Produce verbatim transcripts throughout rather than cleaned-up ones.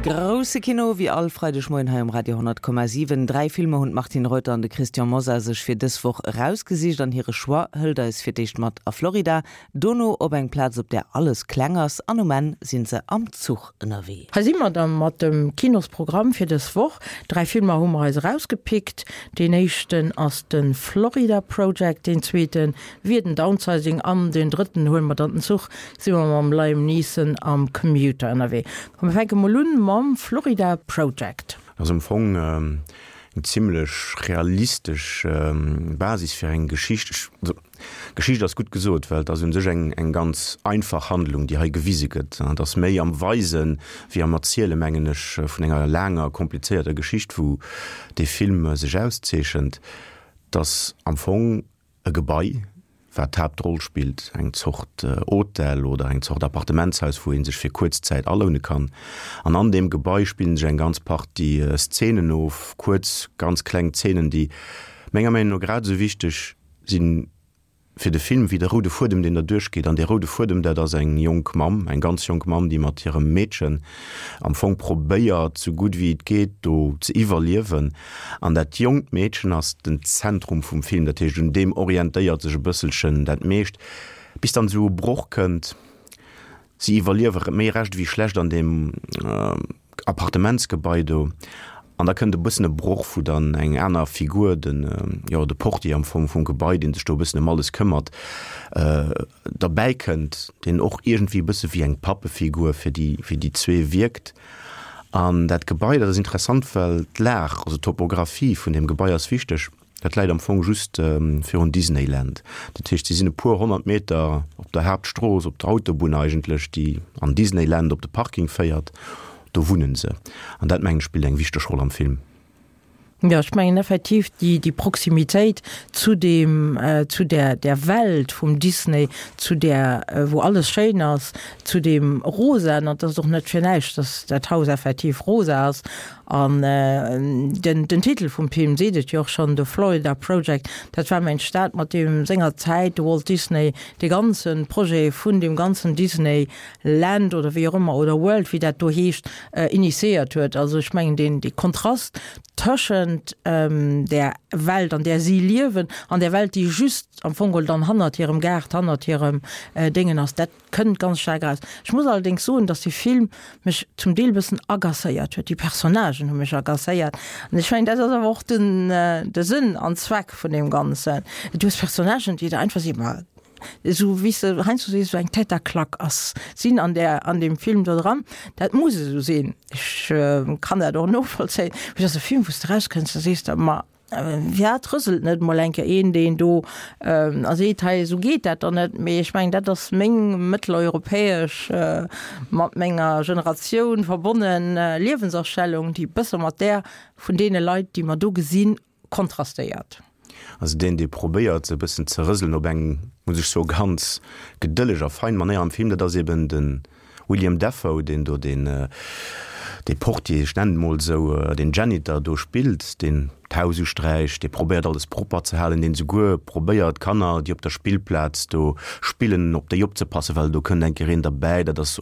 Grousse Kino wéi all Freidegmoien hei um Radio honnert Komma siwen. Dräi Filmer hunn d'Martine Reuter an de Christian Mosar sech fir dës Woch erausgesicht an hire Choix hëlt eis fir d'éischt mat a Florida, dono op eng Plaz op där alles kleng ass an um Enn si se am Zuch ënnerwee. Hei si mer da mat dem Kinosprogramm fir dës Woch. Dräi Filmer hu mer eis erausgepickt. Deen éischten ass de Florida Project, deen zweete wier den Downsizing an deen drëtten huele mer dann den Zuch, si mer mam Liam Neeson am Commuter ënnerwee. Komm mir fänke mol un mam Florida Project. Ass am Fong eng zimlech realistesch Basis fir eng Geschicht. Also, Geschicht ass gutt gesot, well et ass un sech eng eng ganz einfach Handlung, déi hei gewise gëtt. Et ass méi am Weisen wéi am Erzielen, mengen ech, vun enger laanger, komplizéierter Geschicht, wou dee Film sech auszeechent. Et ass am Fong e Gebai, wat d'Haaptroll spillt, eng Zort Hotel oder eng Zort Appartementshaus, wou ee sech fir kuerz Zäit aloune kann. An an deem Gebai spillen sech eng ganz Partie Szenen of, kuerz, ganz kleng Szenen, déi menger Meenung no grad esou wichteg sinn fir de Film wéi de roude Fuedem, deen derduerch geet. An dee roude Fuedem, dat ass eng jonk Mamm, eng ganz jonk Mamm, déi mat hirem Meedchen am Fong probéiert, sou gutt wéi et geet, do ze iwwerliewen. An dat jonkt Meedchen ass den Zentrum vum Film, dat heescht, un deem orientéiert sech e bësselchen dat meescht, bis dann esou e Broch kënnt. Si iwwerliewe méi recht ewéi schlecht an deem Appartementsgebai do. An da kënnt e bëssen e Broch, wou dann eng aner Figur, den, jo, de Portier am Fong vum Gebai, dee sech do e bëssen ëm alles këmmert, derbäi kënnt, deen och iergendwéi e bësse wéi eng Pappefigur fir déi, fir déi zwee wierkt. An dat Gebai, dat ass interessant, well d'Lag, also d'Topographie vun deem Gebai ass wichteg. Dat läit am Fong just virun Disneyland. Dat heescht, si sinn e puer honnert Meter op der Haaptstrooss, op der Autobunn eigentlech, déi an Disneyland op de Parking féiert. Do wunnen se. An dat, mengen ech, spillt eng wichteg Roll am Film. Jo, ech mengen effektiv déi, déi Proximitéit zu deem, zu där, där Welt vum Disney, zu där, wou alles schéin ass, zu deem Rosaen, an et ass och net fir näischt, dass dat Haus effektiv rosa ass. An den, den Titel vum Film seet et jo och schonn, The Florida Project, dat war mengt dat, mat deem sengerzäit de Walt Disney dee ganze Projet vun deem ganzen Disney Land oder wéi och ëmmer oder World, wéi dat do heescht, initiéiert huet. Also ech mengen deen, dee Kontrast tëschent där Welt, an där si liewen, an där Welt, déi just am Fong geholl dann hannert hirem Gaart, hannert hirem Déngen ass, dat kënnt ganz staark eraus. Ech muss allerdéngs soen, dass dee Film mech zum Deel e bëssen agacéiert huet. Déi Personnagen hu mech agacéiert. An ech mengen, dat ass awer och den, de Sënn an Zweck vun deem Ganzen. Du hues Personnagen, déi der einfach si, ma esou wéi s de heiansdo sees, esou eng Tête à claque ass, sinn an där, an deem Film do dran. Dat muss esou sinn. Ech kann dat och novollzéien. Mee et ass e Film, wou s de erauskënns, da sees de, ma firwat rëselt net mol eng Kéier een deen do a seet, hei esou geet dat dann net. Mee ech mengen, dat ass meng mëtteleuropäesch, mat menger Generatioun verbonnen Liewensastellung, déi e bësse mat där vun deene Leit, déi mer do gesinn, kontrastéiert. Also deen, dee probéiert, se e bëssen ze rëselen op eng, muss ech soen, ganz gedëlleg a fein Manéier am Film, dat ass eben de William Dafoe, deen do deen, dee Portier, ech nennen et mol esou, deen Janitor do spillt, deen d'Haus usträicht, dee probéiert alles propper ze halen, deen esouguer probéiert d'Kanner, déi op der Spillplaz do spillen, op déi opzepassen, well do kënnt eng Kéier een derbäi, dat ass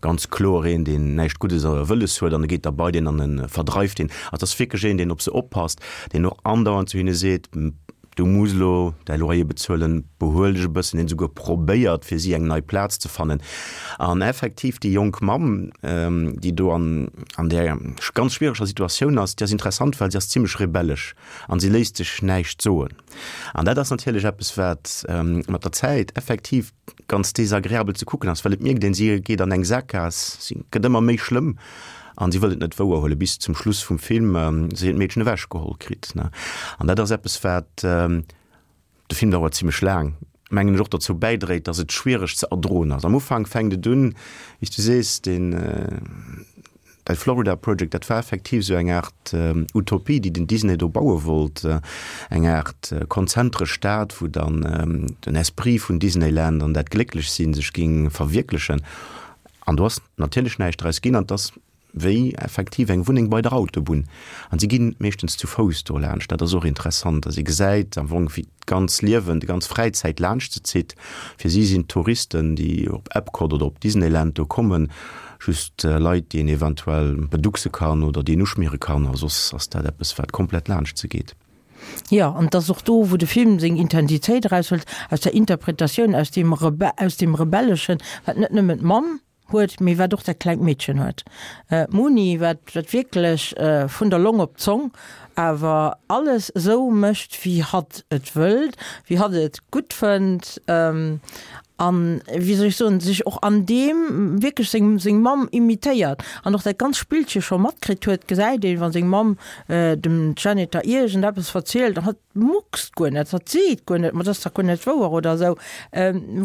ganz kloer een, deen näischt Guddes wëlles huet, an e geet da bei deen an e verdreift deen. Also et ass wierklech een, deen op se oppasst, deen och andauernd zu hinne seet, Du muss elo däi Loyer bezuelen, behuel dech e bëssen, deen esouguer probéiert, fir si eng nei Plaz ze fannen. An effektiv, déi jonk Mamm, déi do an an där ganz schwiereger Situatioun ass, déi ass interessant, well si ass zimlech rebellesch an si léisst sech näischt soen. An dat ass natierlech eppes, wat mat der Zäit effektiv ganz desagreabel ze kucken ass, well et mierkt een, si geet an eng Sakgaass, si gëtt ëmmer méi schlëmm an si wëll et net wouer huelen, bis zum Schluss vum Film si hiert Meedchen ewech geholl kritt. An dat ass eppes, wat, de Film dauert zimlech laang, mengen ech, och dozou bäidréit, datt et schwiereg ze erdroen ass. Am Ufank fänkt et un, wéi s du sees, deen, dat Florida Project, dat war effektiv esou eng Aart Utopie, déi den Disney do baue wollt, eng Aart konzentresch Stad, wou dann den Esprit vun Disneyland an dat Glécklechsinn sech géing verwierklechen. An do ass natierlech näischt draus ginn an et ass wéi effektiv eng Wunneng bei der Autobunn. An si ginn meeschtens zu Fouss do laanscht. Dat ass och interessant, dass ee gesäit am Fong, wéi d'ganz Liewen, déi ganz Fräizäit laanscht se zitt. Fir si sinn d'Touristen, déi op Epcot oder op Disneyland do kommen, just Leit, déi een eventuell beduckse kann oder déi een uschmiere kann, a soss ass dat eppes, wat komplett laanscht se geet. Jo, an et ass och do, wou de Film seng Intensitéit eraushëlt, aus der Interpretatioun, aus deem Rebe-, aus deem Rebelleschen, wat net nëmmen d'Mamm huet, mee wat och dat klengt Meedchen huet, d'Moonee, wat, wat wierklech vun der Long op d'Zong awer alles esou mécht, wéi hatt et wëllt, wéi hatt et gutt fënnt an, wéi soll ech soen, sech och an deem wierklech seng, seng Mamm imitéiert an och dat ganz Spillche scho matkritt huet, gesäit een, wa seng Mamm dem Janitor iergendeppes verzielt an hatt muckst guer net, hatt seet guer net, ma dat ass dach guer net wouer oder esou,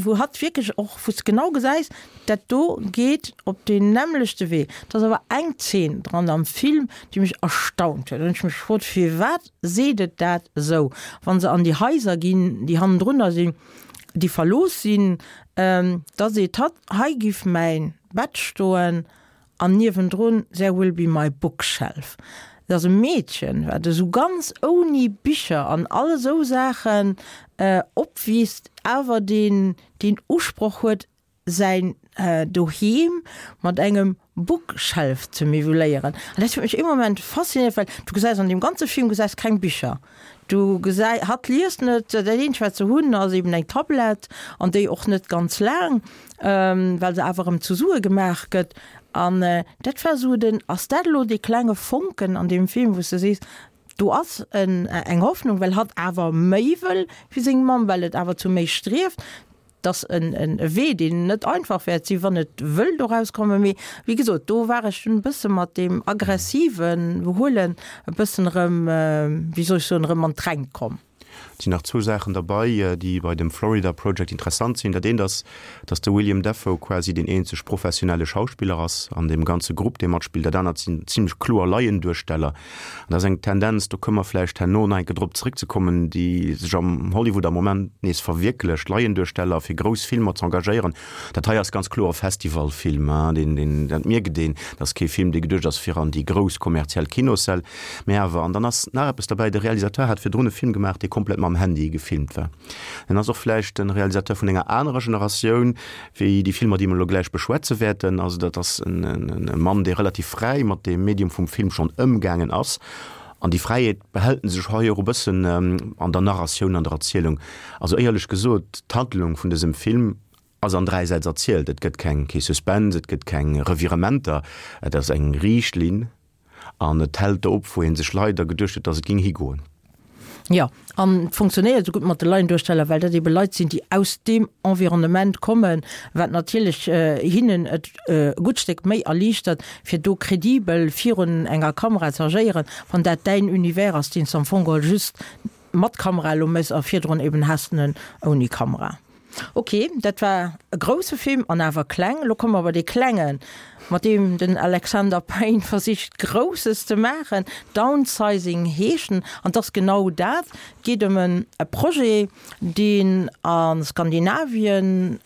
wou hatt wierklech och, wou s de genau gesäis, dat do geet op deen nämmlechte Wee. Et ass awer eng Zeen dran am Film, déi mech erstaunt huet. An ech mech gefrot, firwat seet et dat esou? Wa se an déi Haiser ginn, déi hannendrunner sinn, déi verlooss sinn, da seet hatt, hei giff mäin Bett stoen an niewendrun there will be my bookshelf. Et ass e Meedchen, wat esou ganz ouni Bicher an all esou Saachen opwiisst, awer deen deen Usproch huet, säin Doheem mat engem Bookshelf ze miwweléieren. An dat huet mech ee Moment faszinéiert, well du gesäis an deem ganze Film gesäis keng Bicher. Du gesäi, hatt liest net, dat eenzegt wat se hunn ass eben eng Tablett an déi och net ganz laang, well se awer erëm zu Sue gemaach gëtt. An dat war esou den, ass dat elo dee klenge Fonken an deem Film, wou s de sees, do ass en eng Hoffnung, well hatt awer méi wëll wéi seng Mamm, well et awer zu méi strieft. Et ass en Wee, deen net einfach wäert sinn, wann et wëll doraus kommen. Mee wéi gesot, do war ech dunn e bësse mat deem aggressive Behuelen e bëssen erëm, wéi soll ech soen, erëm an d'Rengt komm. Et sinn nach zwou Saachen derbei, déi bei dem Florida Project interessant sinn. Dat eent ass, datt de William Dafoe quasi deen eenzeg professionelle Schauspiller ass an deem ganze Grupp, dee matspillt. Dat anert sinn zimlech kloer Laienduersteller. An dat ass eng Tendenz, do kënne mer vläicht herno nach eng Kéier drop zréckzekommen, déi sech am Hollywood am Moment nees verwierklecht, Laienduersteller fir grouss Filmer ze engagéieren. Dat hei ass ganz kloer e Festivalfilm, deen, deen, dat mierkt een, dat ass kee Film, dee geduecht ass fir an déi grouss kommerziell Kinossäll. Mä awer, an dann ass nach eppes derbäi, de Realisateur hat virdrun e Film gemaach, dee komplett mam Handy gefilmt war. En ass och vläicht e Realisateur vun enger anerer Generatioun wéi déi Filmer, déi mer elo gläich beschwätze wäerten. Also dat ass e Mann, dee relativ fräi mat deem Medium vum Film schonn ëmgaangen ass. An déi Fräiheet behält en sech hei och e bëssen an der Narratioun, an der Erzielung. Also éierlech gesot, d'Handlung vun dësem Film ass an dräi Sätz erzielt. Et gëtt keng, kee Suspense, et gëtt keng Revirementer. Et ass eng riicht Linn an et hält do op, wou ee sech leider geduecht huet, datt et géing higoen. Jo, an et funktionéiert esou gutt mat de Laienduersteller, well dat ebe Leit sinn, déi aus deem Environnement kommen, wat natierlech hinnen et e gutt Stéck méi erliichtert, fir do kredibel virun enger Kamera ze agéieren, wann dat däin Univers ass, deen s de am Fong geholl just mat Kamera elo méchs a virdrun eben has de en ouni Kamera. Ok, dat war e grousse Film an awer kleng. Elo komme mer bei dee klengen, mat deem den Alexander Payne versicht Grousses ze maachen. Downsizing heescht en an et ass genau dat. Et geet ëm e Projet, deen a Skandinavien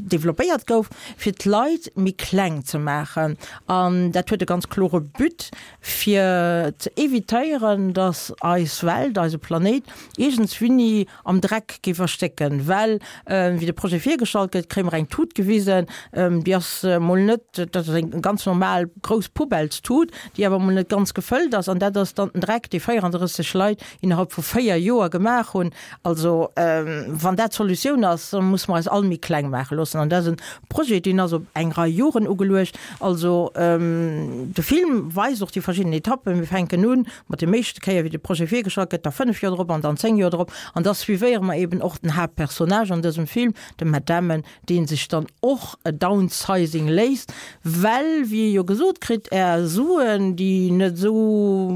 developpéiert gouf, fir d'Leit méi kleng ze maachen. An dat huet e ganz klore But, fir ze evitéieren, datt eis Welt, eise Planéit iergendswinni am Dreck géif erstécken. Well wéi de Projet virgestallt gëtt, kréie mer eng Tut gewisen, déi ass mol net, dat ass eng ganz normal grouss Poubellstut, déi awer mol net ganz gefëllt ass. An dat ass dann den Dreck, dee véierandrësseg Leit innerhalb vu véier Joer gemaach hunn. Also wann dat d'Solutioun ass, da musse mer eis all méi kleng maache loossen. An dat ass e Projet, deen ass op eng Rei Joren ugeluecht. Also de Film weist och déi verschidden Etappen. Mir fänken u mat dem éischte Kéier, wéi de Projet virgestallt gëtt, da fënnef Joer drop an dann zéng Joer drop. An da suivéiere mer eben och den Haaptpersonnage an dësem Film, de Matt Damon, dee sech dann och e Downsizing léisst, well, wéi e jo gesot kritt, Är Suen, déi net esou,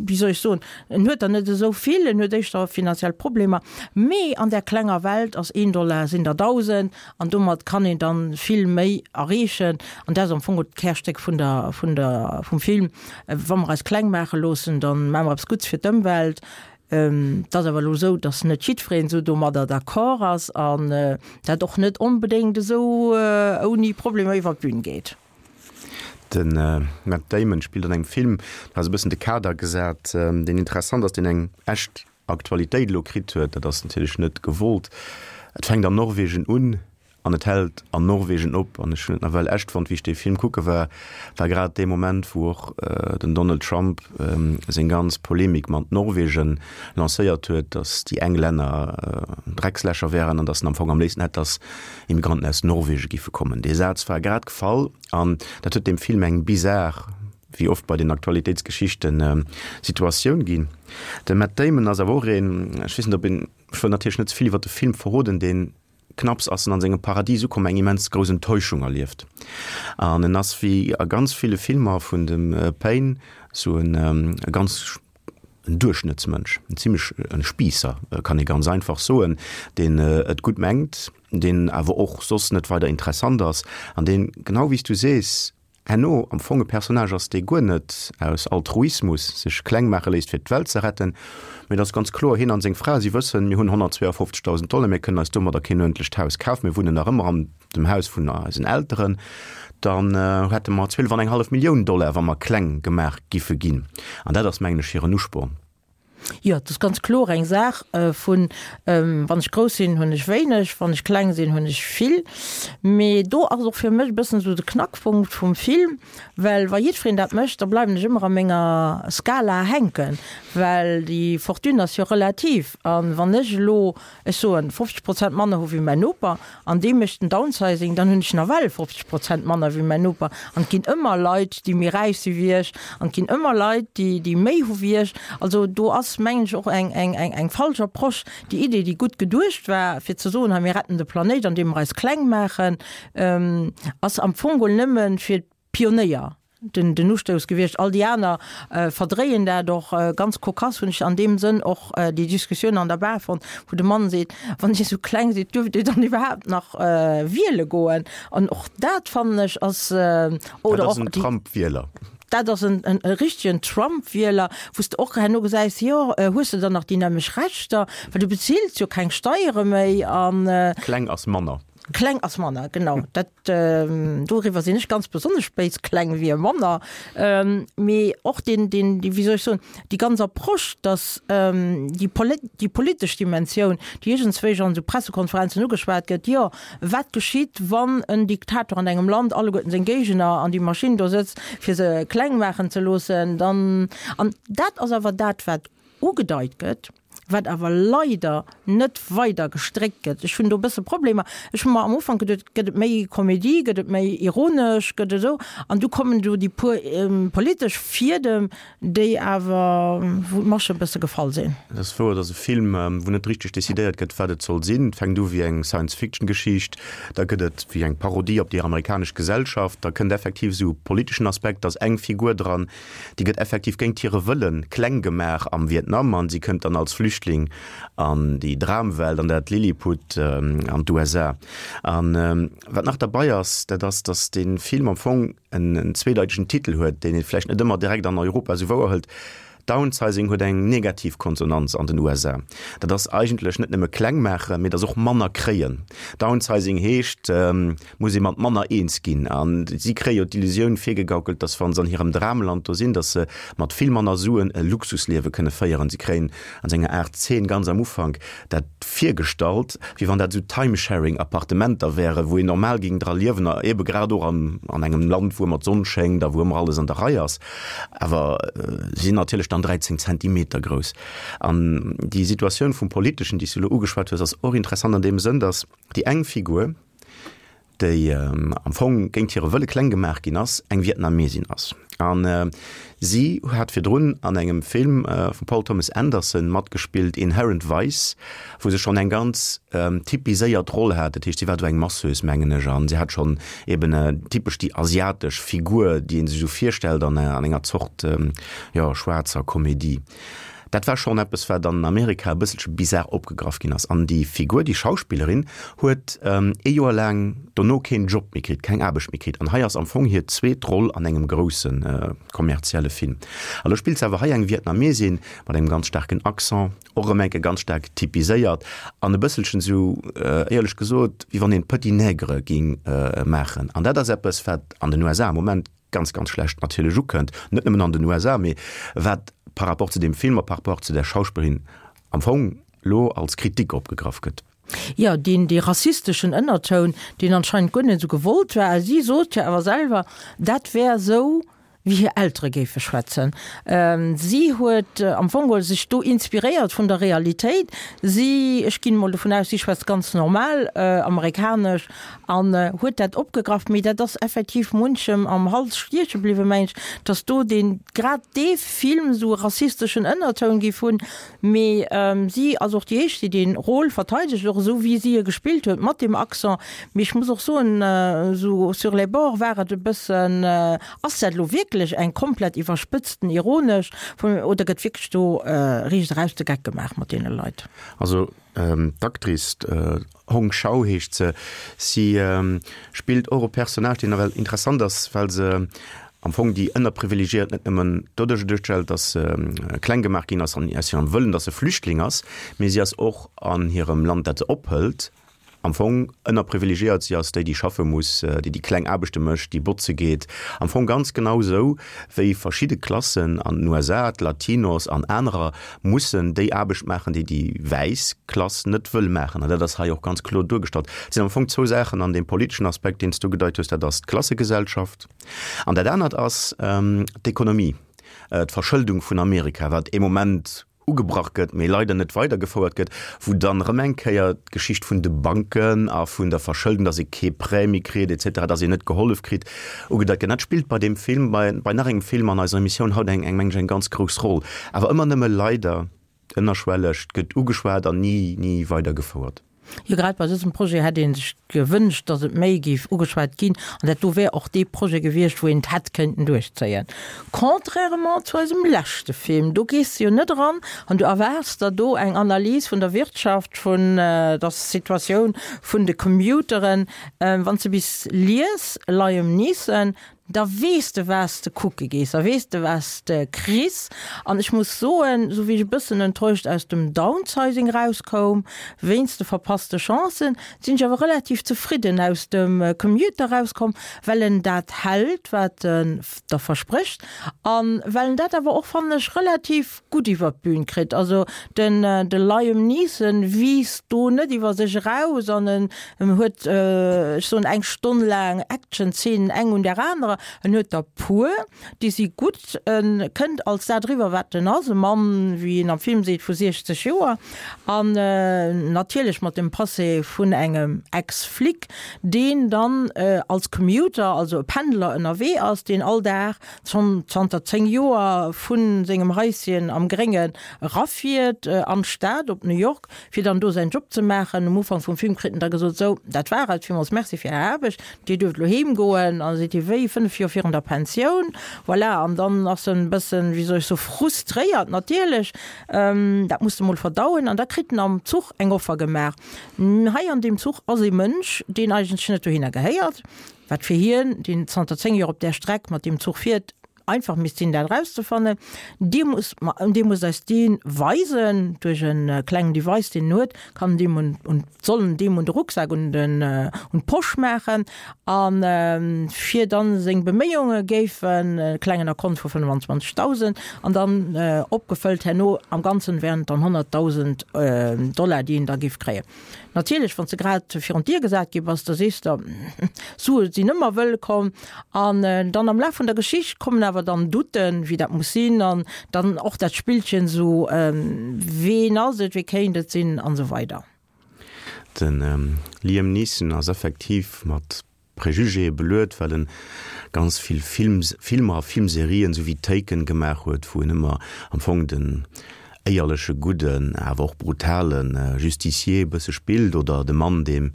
wéi soll ech soen, en huet der net esou vill, en huet éischter finanziell Problemer, mee an där klenger Welt ass een Dollar sinn der dausend an domat kann een dann vill méi erreechen. An dat ass am Fong och d'Kärstéck vun der, vun der, vum Film. Wa mer eis kleng maache loossen, dann maache mer eppes Gutts fir d'Ëmwelt. Et ass awer elo esou, datt net jiddwereen esou domadder d'accord ass an dat och net onbedéngt esou ouni Problemer iwwer d'Bün geet. De Matt Damon spillt an engem Film, do ass e bëssen de Kader gesat, deen interessant ass, deen eng echt Aktualitéit elo kritt huet. Dat ass natierlech net gewollt. Et fänkt an Norwegen un an et hält an Norwegen op. An ech hunn et nawell echt fonnt, wéi ech dee Film kucke war, war grad dee Moment, wou och den Donald Trump seng ganz Polemik mat Norwegen lancéiert huet, datt déi eng Länner Dreckslächer wären an datt en am Fong am léifsten hätt, datt Immigranten aus Norwegen giffe kommen. Dee Saz war grad gefall an dat huet deem Film eng bizar, wéi oft bei den Aktualitéitsgeschichten, Situatioun ginn. De Matt Damon ass awer och een, ech weess net, ob een, ech wëll natierlech net ze vill iwwer de Film verroden, deen knapps ass en an sengem Paradies ukomm, eng immens grouss Enttäuschung erlieft. An en ass wéi a ganz ville Filmer vun dem Payne sou en ganz en Duerchschnëttsmënsch, en zimmlech en Spiisser, kann ee ganz einfach soen, deen et gutt mengt, deen awer och soss net weider interessant ass an deen, genau wéi s du sees, herno am Fong e Personnage ass, dee guer net aus Altruismus sech kleng maache léisst, fir d'Welt ze retten, mee et ass ganz kloer, hien an seng Fra, si wëssen, mir hunn honnertzweeafofzegdausend Dollar, mir kënnen eis domadder keen uerdentlecht Haus kafen, mir wunnen nach ëmmer an dem Haus vun eisen Elteren, dann hätte mer zwielef an eng hallef Millioun Dollar, wa mer kleng gemaach giffe ginn. An dat ass, mengen ech, hiren Usporn. Jo, et ass ganz kloer eng Saach vun, wann ech grouss sinn, hunn ech wéineg, wann ech kleng sinn, hunn ech vill. Mee do ass och fir mech e bëssen esou de Knackpunkt vum Film, well wa jiddwereen dat mécht, da bleiwen ech ëmmer a menger Skala hänken, well déi Fortune ass jo relativ. A wann ech elo, ech soen, fofzeg Prozent manner hu wéi mäin Noper an dee mécht den Downsizing, dann hunn ech nawell fofzeg Prozent manner wéi mäin Noper. An et ginn ëmmer Leit, déi méi räich si wéi ech an et ginn ëmmer Leit, déi, déi méi hu wéi ech. Also do ass, mengen ech, och eng, eng, eng, eng falsch Approche. Déi Idee, déi gutt geduecht war, fir ze soen, hei mir retten de Planéit, andeem mer eis kleng maachen, ass am Fong geholl nëmme fir d'Pionéier den, den Ustouss gewiescht. All déi aner verdréien dat och. Ganz kokass hunn ech an deem Sënn och déi Diskussioun an der Bar fonnt, wou de Mann seet, Wann Dir esou kleng sidd, duerft Dir dann iwwerhaapt nach wiele goen? An och dat, fannen ech, ass, oder och déi. Dat ass en Trump-Wieler. Dat ass en richtegen Trump-Wieler, wou s de och herno gesäis, jo, hues de dann nach déi nämlech Rechter, well du bezills jo keng Steiere méi an. Kleng ass manner. Kleng ass manner, genau. Dat, doriwwer sinn ech ganz besonnesch béis, kleng wier manner. Mee och deen, deen, déi, wéi soll ech soen, déi ganz Approche, datt déi déi politesch Dimensioun, déi iergendswéi an esou Pressekonferenzen ugeschwat gëtt, jo, Wat geschitt, wann en Diktator an engem Land alleguerten seng Géigner an déi Maschinn do sëtzt, fir se kleng maachen ze loossen? Dann, an dat ass awer dat, wat ugedeit gëtt, wat awer leider net weider gestréckt gëtt. Ech hunn do e bësse Problemer. Ech hu mer am Ufank geduet, gëtt et méi Komedie, gëtt et méi ironesch, gëtt et esou? An du kommen do déi puer politesch Fiedem, déi awer, wou d'Masche e bësse gefall sinn. Et ass wouer, et ass e Film, wou net richteg decidéiert gëtt, wat et soll sinn. Et fänkt u wéi eng Science-Fiction-Geschicht, da gëtt et wéi eng Parodie op déi amerikanesch Gesellschaft, da kënnt effektiv esou e politeschen Aspekt, da ass eng Figur dran, déi gëtt effektiv géint hire Wëlle kleng gemaach am Vietnam an si kënnt dann als Flüchtling an déi Dramwelt, an dat Lilliput, an d'U S A. An wat nach derbei ass, dat ass, datt dee Film am Fong en zweedeitegen Titel huet, deen ee vläicht net ëmmer direkt an Europa esou wouer hëlt, Downsizing huet eng negativ Konsonanz an den U S A. Dat ass eigentlech net nëmme kleng maachen, mee et ass och manner kréien. Downsizing heescht, muss ee mat manner eens ginn. A si kréie jo d'Illusioun virgegaukelt, datt wa se an hirem Dramland do sinn, datt se mat vill manner Suen e Luxusliewe kënne féieren. Si kréien an senger Aart Zeen ganz am Ufank dat virgestallt, wéi wann dat esou Timesharing-Appartementer wären, wou een normal géing dra liewen, a ebe grad och an an engem Land, wou ëmmer d'Sonn schéngt a wou ëmmer alles an der Rei ass. Awer si sinn natierlech dann dräizéng Zentimeter grouss. An déi Situatioun vum Politeschen, déi s du elo ugeschwat hues, ass och interessant an deem Sënn, datt déi eng Figur, déi am Fong géint hire Wëlle kleng gemaach ginn ass, eng Vietnamesin ass. An si hat virdrun an engem Film vum Paul Thomas Anderson matgespillt, Inherent Vice, wou se schonn eng ganz typiséiert Roll hat. Dat heescht, si war do eng Masseuse, mengen ech, an si hat schonn eben typesch déi asiatesch Figur, déi ee sech esou virstellt an enger Zort, jo, schwaarzer Komedie. Dat war schonn eppes, wat an Amerika e bësselche bizar opgegraff ginn ass. An déi Figur, déi Schauspillerin, huet ee Joer laang dono keen Job méi kritt, keng Aarbecht méi kritt. An hei ass am Fong hir zweet Roll an engem grousse kommerzielle Film. A lo spillt se awer hei eng Vietnamesin mat engem ganz staarken Accent, och erëm enke ganz staark typiséiert an e bësselchen esou, éierlech gesot, wéi wann een Petit Nègre géing maachen. An dat ass eppes, wat an den U S A am Moment ganz, ganz schlecht natierlech ukënnt, net nëmmen an den U S A, mee wat par rapport zu deem Film a par rapport zu där Schauspillerin am Fong lo als Kritik opgegraff gëtt. Jo, deen, dee rassisteschen Ënnertoun, deen anscheinend guer net esou gewollt war. A si sot jo awer selwer, dat wär esou, wéi hir Eltere géife schwätzen. Si huet am Fong geholl sech do inspiréiert vun der Realitéit. Si, ech ginn emol dovun aus, si schwätzt ganz normal amerikanesch an huet dat opgegraff. Mee dat ass effektiv munchem am Hals stieche bliwwen, meng ech, datt do deen, grad dee Film esou e rassisteschen Ënnertoun géif hunn. Mee si ass och déi éischt, déi dee Rôle verteidegt, och esou wéi si e gespillt huet, mat deem Accent. Mee ech muss och soen, esou sur les bords war et e bëssen, ass dat elo wierklech eng komplett iwwerspëtzten ironesch oder gëtt wierklech do riicht eraus de Geck gemaach mat deene Leit? Also d'Actrice, Hong Chau heescht se, si spillt och e Personnage, deen nawell interessant ass, well se am Fong déi Ënnerprivilegiéiert net nëmmen doduerch duerstellt, datt se kleng gemaach ginn ass an aus hirem Wëllen, datt se Flüchtling ass, mee si ass och an hirem Land, dat se ophëlt, am Fong ënnerprivilegiéiert. Si ass déi, déi schaffe muss, déi déi kleng Aarbechte mécht, déi botze geet. Am Fong ganz genau esou, wéi verschidde Klassen an den U S A, d'Latinos an anerer, mussen déi Aarbecht maachen, déi déi wäiss Klass net wëll maachen. An dat ass hei och ganz kloer duergestallt. Et sinn am Fong zwou Saachen an deem politeschen Aspekt, deen s du gedeit hues, dat ass d'Klassegesellschaft an dat anert ass d'Ekonomie, d'Verschëldung vun Amerika, wat ee Moment ugebrach gëtt, mee leider net weidergefouert gëtt, wou dann erëm eng Kéier d'Geschicht vun de Banken a vun der Verschëldung, dass ee kee Prêt méi kritt et cetera, dass een net gehollef kritt, ugedeit gëtt. Dat spillt bei deem Film, bei, bei nach engem Film an eiser Emissioun haut eng, eng, meng ech, eng ganz grouss Roll. Awer ëmmer nëmme leider ënnerschwelleg, et gëtt ugeschwat an ni, ni weidergefouert. Jo, grad bei dësem Projet hätt ee sech gewënscht, datt et méi géif ugeschwat ginn, an dat do wär och dee Projet gewiescht, wou een et hätt kënnten duerchzéien. Contrairement zu eisem leschte Film, do gees de jo net eran an du erwaarts der do eng Analys vun der Wirtschaft, vun der Situatioun vun de Commuteren. Wann s de bis lies, Liam Neeson, da weess de wat s de kucke gees, da weess de wat s de kriss. An ech muss soen, esou wéi ech e bëssen enttäuscht aus dem Downsizing erauskoum, wéinst de verpasste Chancen, sinn ech awer relativ zefridden aus dem Commuter erauskomm, well en dat hält, wat en der versprécht a well en dat awer och, fannen ech, relativ gutt iwwer d'Bün kritt. Also den de Liam Neeson wiisst do net iwwer sech eraus an en huet, ech soen, eng Stonn laang Action-Zeenen eng un där anerer. En huet der puer, déi si gutt. En kënnt als dat eriwwer, wat en ass, e Mann, wéi en am Film seet, vu siechzeg Joer an natierlech mat dem Passé vun engem Ex-Flic, deen dann als Commuter, also e Pendler ënnerwee ass, deen all Dag schonn zanter zéng Joer vu sengem Haischen am Gréngen erafiert an d'Stad op New York, fir dann do säin Job ze maachen. Um Ufank vum Film kritt en da gesot, Sou, dat war et, villmools Merci fir Är Aarbecht, Dir duerft elo heem goen. An da seet hie, Wéi, fënnef Joer virun der Pensioun? Voilà, an dann ass en e bëssen, wéi soll ech soen, frustréiert natierlech. Dat muss de mol verdauen. An da kritt en am Zuch eng Offer gemaach. Hei an deem Zuch ass ee Mënsch, deen eigentlech net dohinner gehéiert, wat fir hien, deen zanter zéng Joer op där Streck mat deem Zuch fiert, einfach misst sinn, dat erauszefannen. Dir musst, Dir musst eis dee weisen, duerch e klengen Device, deen en huet, kann en deem un, un, soll en deem un de Rucksak, un den, un d'Posch maachen, a fir dann seng Beméiunge géifen e klengen Akkont vu fënnefanzwanzegdausend an dann opgefëllt herno am Ganzen wären et dann honnertdausend Dollar, déi en da géif kréien. Natierlech, wann s de grad virun d'Dier gesat gi bass, da sees de, Sue sinn ëmmer wëllkomm. An dann am Laf vun der Geschicht kommen awer dann Douten, wéi dat muss sinn, an dann och dat Spillchen esou, ween ass et, wee kéint et sinn an esou weider. De Liam Neeson ass effektiv mat Prejugéë beluet, well en ganz vill Films, Filmer a Filmserien, sou wéi Taken, gemaach huet, wou en ëmmer am Fong den éierleche, gudden, awer och brutale Justicier e bësse spillt, oder de Mann, deem,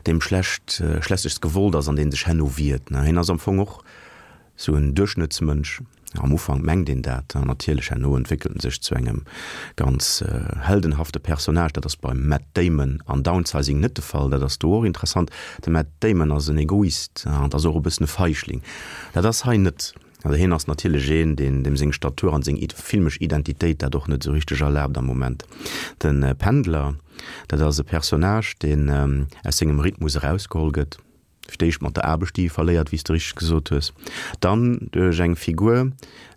deem schlecht, Schlechtes gewollt ass an dee sech herno wiert. Hien ass am Fong och sou en Duerchschnëttsmënsch. Am Ufank mengt een dat, an natierlech herno entwéckelt en sech zu engem ganz heldenhafte Personnage. Dat ass beim Matt Damon an Downsizing net de Fall. Dat ass do och interessant. De Matt Damon ass en Egoist an ass och e bëssen e Feichling. Dat ass hei net. Also hien ass natierlech een, deen, deem seng Statur an seng filmesch Identitéit dat och net esou richteg erlaabt am Moment. De Pendler, dat ass e Personnage, deen aus sengem Rhythmus erausgeholl gëtt. Fir d'éischt mat der Aarbecht, déi e verléiert, wéi s de richteg gesot hues. Dann duerch eng Figur,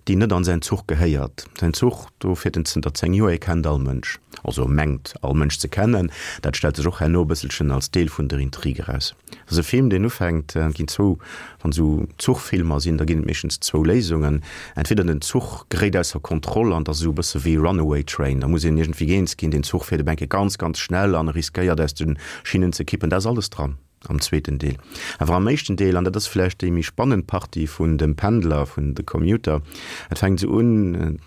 déi net an säin Zuch gehéiert. Säin Zuch, do fiert en zënter zéng Joer, e kennt all Mënsch, also e mengt all Mënsch ze kennen. Dat stellt sech och herno e bësselchen als Deel vun der Intrig eraus. Et ass e Film, deen ufänkt, et ginn zwou, wann esou Zuchfilmer sinn, da ginn et meeschtens zwou Léisungen, entweder den Zuch geréit ausser Kontroll an et ass esou e bësse wéi Runaway Train, da muss een iergendwéi eens ginn, den Zuch fiert e Benke ganz, ganz schnell an e riskéiert aus de Schinnen ze kippen. Dat ass alles dran am zweeten Deel. Awer am éischten Deel, an dat ass vläicht déi méi spannend Partie vun dem Pendler, vun The Commuter, et fänkt esou un,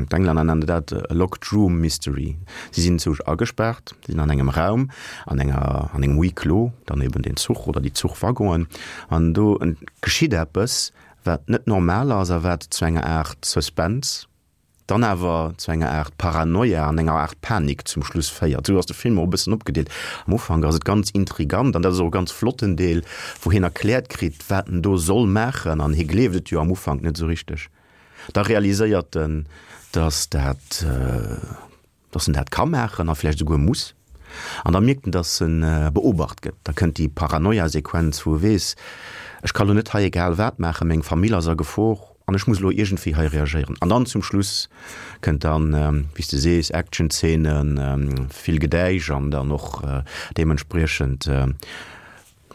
d'Englänner nennen dat a locked room mystery, si sinn zousch agespaart, si sinn an engem Raum, an enger, an engem Huis clos, dann eben den Zuch oder déi Zuchwaggonen, an do geschitt eppes, wat net normal ass a wat zu enger Aart Suspense, dann awer zu enger Aart Paranoia an enger Aart Panik zum Schluss féiert. Esou ass de Film och e bëssen opgedeelt. Am Ufank ass et ganz intrigant an dat ass och e ganz flotten Deel, wou hien erkläert kritt, wat en do soll maachen an hie gleeft et jo am Ufank net esou richteg. Da realiséiert en, dass dat, dass en dat ka maachen a vläicht esouguer muss. An da mierkt en, dass en beobacht gëtt. Da kënnt déi Paranoia-Sequenz, wou e weess, Ech ka lo net hei egal wat maachen, meng Famill ass a Gefor an ech muss elo iergendwéi hei reagéieren. An dann zum Schluss kënnt dann, wéi s de sees, Action-Zeenen, vill Gedäisch an dann och deementspriechend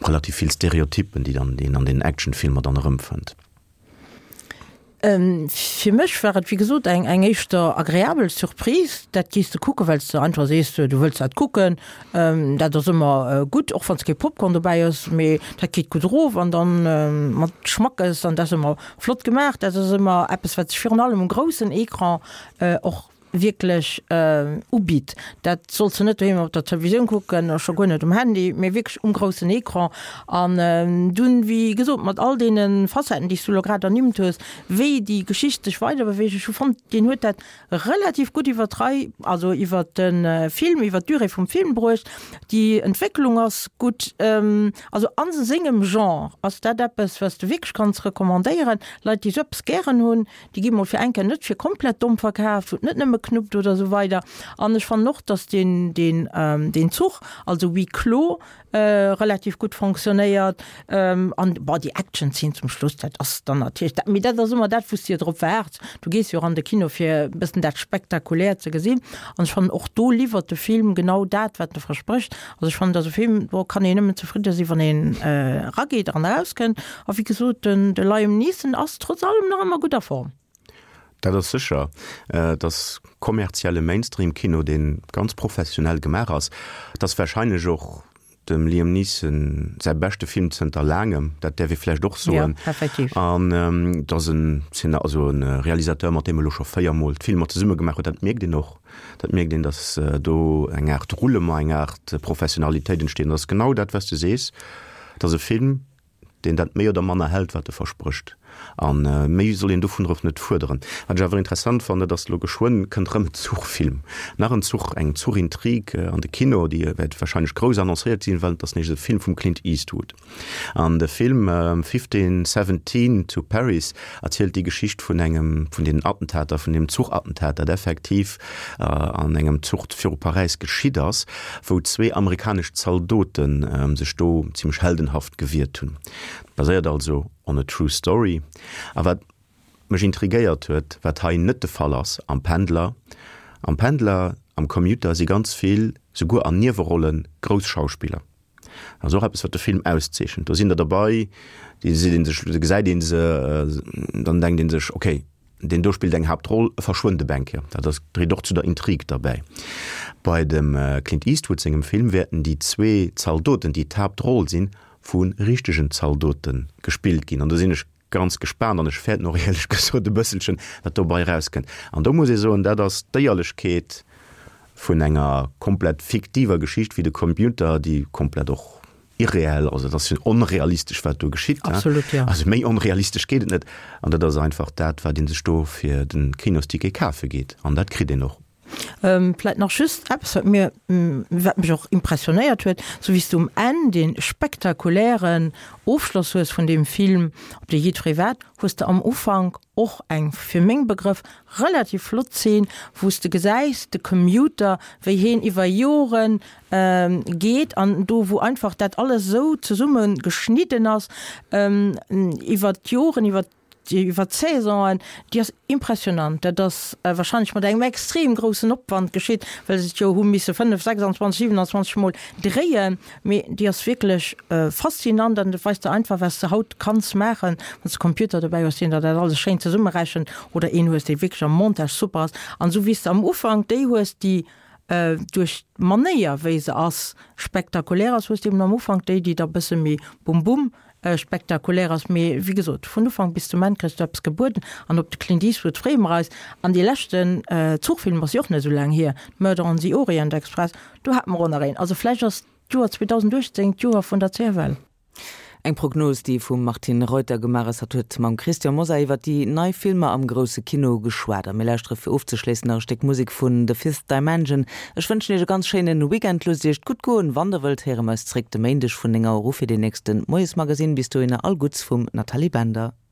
relativ vill Stereotyppen, déi dann een an den Actionfilmer dann erëmfënnt. Fir mech war et wéi gesot eng eng éischter agreabel Surprise. Dat gees de kucken, well s de einfach sees, du wëlls dat kucken. Dat ass ëmmer gutt, och wann s kee Popcorn dobäi hues, mee dat geet gutt erof an dann mat Schmackes an dat ass ëmmer flott gemaach. Dat ass ëmmer eppes, wat sech virun allem um groussen Ecran och wierklech ubitt. Dat solls de net doheem op der Televisioun kucken, a scho guer net um Handy, mee wierklech um groussen Ecran. An dunn, wéi gesot, mat all deene Facetten, déi s du elo grad ernimmt hues, wéi déi Geschicht sech weiderbeweegt, ech hu fonnt, deen huet dat relativ gutt iwwer d'Rei, also iwwer de Film, iwwer d'Durée vum Film bruecht. Déi Entwécklung ass gutt. Also a sengem Genre ass dat eppes, wat s de wierklech kanns recommandéieren. Leit, déi esou eppes gären hunn, déi gi mol fir eng Kéier net fir komplett domm verkaaft, wou et net nëmme knuppt oder esou weider. An ech fannen och, dass deen, deen, deen Zuch, also Huis clos, relativ gutt fonctionnéiert. An, bon, déi Action-Zeen zum Schluss, dat ass dann natierlech dat, mee dat ass ëmmer dat, wou s de jo drop waarts. Du gees jo och an de Kino, fir e bëssen dat Spektakuläert ze gesinn. An ech fannen, och do liwwert de Film genau dat, wat e versprécht. Also ech fannen, dat ass e Film, do kann een nëmmen zefridde sinn, wann een erageet an erauskënnt. A wéi gesot, den de Liam Neeson ass trotz allem nach ëmmer gutt a Form. Dat ass sécher. Et ass kommerzielle Mainstream-Kino, dee ganz professionell gemaach ass. Et ass warscheinlech och dem Liam Neeson säi beschte Film zënter laangem, dat däerf ee vläicht och soen. Jo, effektiv. An et ass en Zeen-, also e Realisateur, mat deem e lo scho véier Mol d'Filmer zesumme gemaach huet. Dat mierkt een och. Dat mierkt een, datt do eng Aart Roulement, eng Aart Professionalitéit entsteet. An et ass genau dat, wat s de sees, et ass e Film, deen dat méi oder manner hält, wat e versprécht. A méi soll een dovunner och net fuerderen. Wat ech awer interessant fannen, dat ass, elo geschwënn kënnt erëm en Zuchfilm, nach en Zuch, eng Zuchintrig an de Kino, déi wäert wahrscheinlech grouss annoncéiert sinn, well et ass nämlech e Film vum Clint Eastwood. An de Film Fifteen Seventeen to Paris erzielt déi Geschicht vun engem vun deenen Attentater, vun deem Zuchattentat, dat effektiv an engem Zuch viru Paräis geschitt ass, wou zwee amerikanesch Zaldote sech do zimmlech heldenhaft gewiert hunn. Baséiert also on a true story. A wat mech intrigéiert huet, wat hei net de Fall ass am Pendler, am Pendler, am Commuter si ganz vill, souguer an Niewerollen, grouss Schauspiller. Dat ass och eppes, wat de Film auszeechent. Do sinn der derbei, déi seet ee sech, da gesäit ee se, dann denkt ee sech, okay, deen do spillt eng Haaptroll, e verschwënnt e Bänke. Dat ass, dréit och zu der Intrig derbäi. Bei dem Clint Eastwood sengem Film wäerten déi zwee Zaldoten, déi d'Haaptroll sinn, vu richtegen Zaldote gespillt ginn. An do sinn ech ganz gespaant an ech fäerten och éierlech gesot e bësselchen, wat dobei erauskënnt. An do muss ee soen, dat ass d'Éierlechkeet vun enger komplett fiktiver Geschicht wéi de Computer, déi komplett och irreell, also et ass jo onrealistesch wat do geschitt, Absolut, jo. Also méi onrealistesch geet et net. An dat ass einfach dat, wat ee sech do fir de Kinosticket kafe geet. An dat kritt een och. Vläit nach just eppes, wat mir, wat mech och impressionéiert huet, sou wéi s du um Enn dee spektakulären Ofschloss hues vun deem Film, op dee jiddweree waart, hues de am Ufank och eng, fir meng Begrëff, relativ flott Zeen, wou s de gesäis, de Commuter, wéi heen iwwer Joren geet an do wou einfach dat alles esou zesumme geschnidden ass iwwer d'Joren, iwwer iwwer d'Saisonen, déi ass impressionant. Dat ass wahrscheinlech mat engem extrem groussen Opwand geschitt, well se et jo hu misse fënnef, sechsandzwanzeg, siwenandzwanzeg Mol dréien, mee déi ass wierklech faszinant an dat weist der einfach, wat s de haut kanns maachen, wann s de Computer dobäi hues, deen der dat alles schéin zesummerechent, oder een hues, dee wierklech am Montage super ass. An esou wéi s de am Ufank déi hues, déi duerch d'Manéier wéi se ass spektakulär ass, hues de eben am Ufank déi, déi da bësse méi bum bum spektakulär ass. Mee wéi gesot, vun Ufank bis zum Enn kriss du eppes gebueden an op de Clint Eastwood freeë mer eis. An dee leschten Zuchfilm ass jo och net esou laang hier, Murder on the Orient Express, do hate mer och nach een. Also vläicht ass d'Joer zweedausendachtzéng d'Joer vun der C F L. Eng Prognos, déi vum Martine Reuter gemaach ass. Hatt huet mam Christian Mosar iwwer déi nei Filmer am grousse Kino geschwat. A mir lauschtere fir ofzeschléissen nach e Stéck Musek vun The Fifth Dimension. Ech wënschen Iech e ganz schéine Weekend. Loosst Iech et gutt goen. Wann Der wëllt, héiere mer eis zréck de Méindeg vun néng Auer u fir deen nächste Moiesmagazin. Bis dohinner all Gutts vum Nathalie Bender.